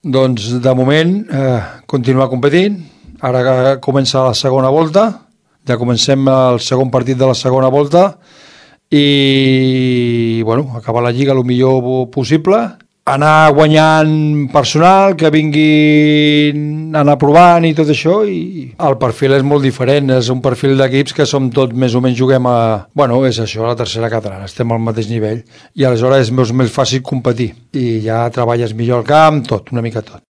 Doncs de moment continuar competint, ara comença la segona volta, ja comencem el segon partit de la segona volta i bueno, acabar la lliga el millor possible, anar guanyant personal, que vinguin anar provant i tot això, i el perfil és molt diferent, és un perfil d'equips que som tots més o menys juguem a... Bueno, és això, la tercera catalana, estem al mateix nivell, i aleshores és més fàcil competir, i ja treballes millor al camp, tot, una mica tot.